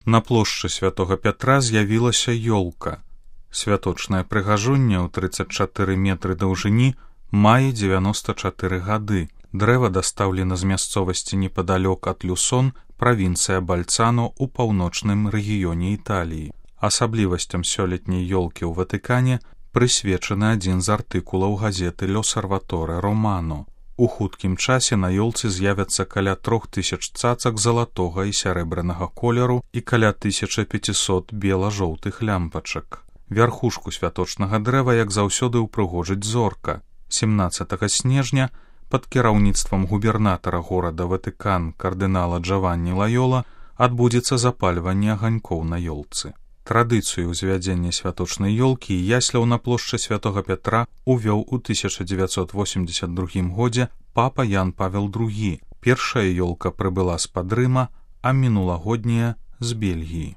На плошчы святога Пятра з'явілася ёлка. Святочнае прыгажунне ў 34 метры даўжыні мае 94 гады. Дрэва дастаўлена з мясцовасці непадалёк ад Люсон, правінцыя Бальцано ў паўночным рэгіёне Італіі. Асаблівасцям сёлетняй ёлкі ў Ватыкане прысвечаны адзін з артыкулаў газеты «L'Osservatore Romano». У хуткім часе на ёлцы з'явяцца каля 3000 цацак залатога і сярэбранага колеру і каля 1500 бела-жоўтых лямпачак. Вярхушку святочнага дрэва, як заўсёды, упрыгожыць зорка. 17 снежня пад кіраўніцтвам губернатара горада Ватыкан кардынала Джаванні Лайола адбудзецца запальванне аганькоў на ёлцы. Традыцыю ўзвядзення святочнай ёлкі і ясляў на плошчы святога Пятра увёў у 1982 годзе папа Ян Павел II. Першая ёлка прыбыла з-пад Рыма, а мінулагодняя з Бельгіі.